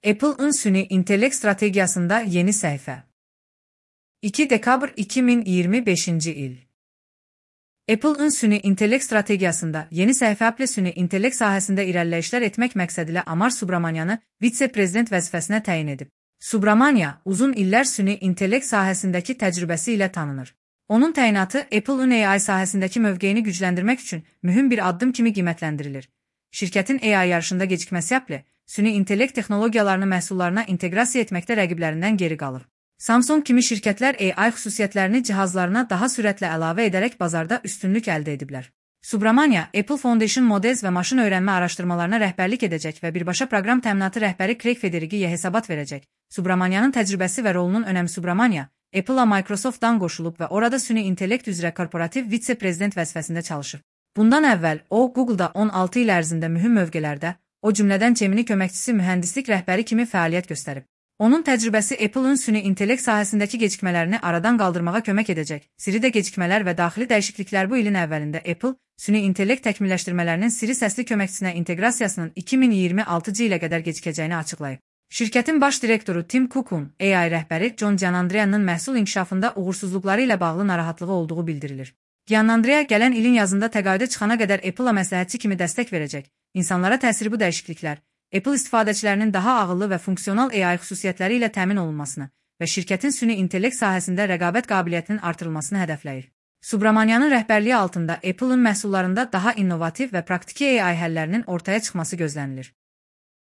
Apple'ın süni intellekt strategiyasında yeni sayfa. 2 dekabr 2025 il. Apple'ın süni intellekt stratejiyasında yeni sayfa Apple süni intellekt sahəsində irəliləyişlər etmək məqsədilə Amar Subramanianı vitse-prezident vəzifəsinə təyin edib. Subramania uzun illər süni intellekt sahəsindəki təcrübəsi ilə tanınır. Onun təyinatı Apple'ın AI sahəsindəki mövqeyini gücləndirmək üçün mühüm bir addım kimi qiymətləndirilir. Şirkətin AI yarışında gecikməsi Apple, süni intellekt texnologiyalarını məhsullarına inteqrasiya etməkdə rəqiblərindən geri qalır. Samsung kimi şirkətlər AI xüsusiyyətlərini cihazlarına daha sürətlə əlavə edərək bazarda üstünlük əldə ediblər. Subramania, Apple Foundation Models və maşın öyrənmə araşdırmalarına rəhbərlik edəcək və birbaşa proqram təminatı rəhbəri Craig Federighiyə hesabat verəcək. Subramanianın təcrübəsi və rolunun önəmi Subramania, Apple-a Microsoft-dan qoşulub və orada süni intellekt üzrə korporativ vitse-prezident vəzifəsində çalışıb. Bundan əvvəl o, Google-da 16 il ərzində mühüm mövqelərdə, o cümlədən Gemini köməkçisi mühəndislik rəhbəri kimi fəaliyyət göstərib. Onun təcrübəsi Apple'ın süni intellekt sahəsindəki gecikmələrini aradan qaldırmağa kömək edəcək. Siridə gecikmələr və daxili dəyişikliklər bu ilin əvvəlində Apple, süni intellekt təkmilləşdirmələrinin Siri səsli köməkçisinə inteqrasiyasının 2026-cı ilə qədər gecikəcəyini açıqlayıb. Şirkətin baş direktoru Tim Cook'un AI rəhbəri John Giannandrea'nın məhsul inkişafında uğursuzluqları ilə bağlı narahatlığı olduğu bildirilir. Giannandrea gələn ilin yazında təqaüdə çıxana qədər Apple-a məsləhətçi kimi dəstək verəcək. İnsanlara təsiri bu dəyişikliklər, Apple istifadəçilərinin daha ağıllı və funksional AI xüsusiyyətləri ilə təmin olunmasını və şirkətin süni intellekt sahəsində rəqabət qabiliyyətinin artırılmasını hədəfləyir. Subramanianın rəhbərliyi altında Apple'ın məhsullarında daha innovativ və praktiki AI həllərinin ortaya çıxması gözlənilir.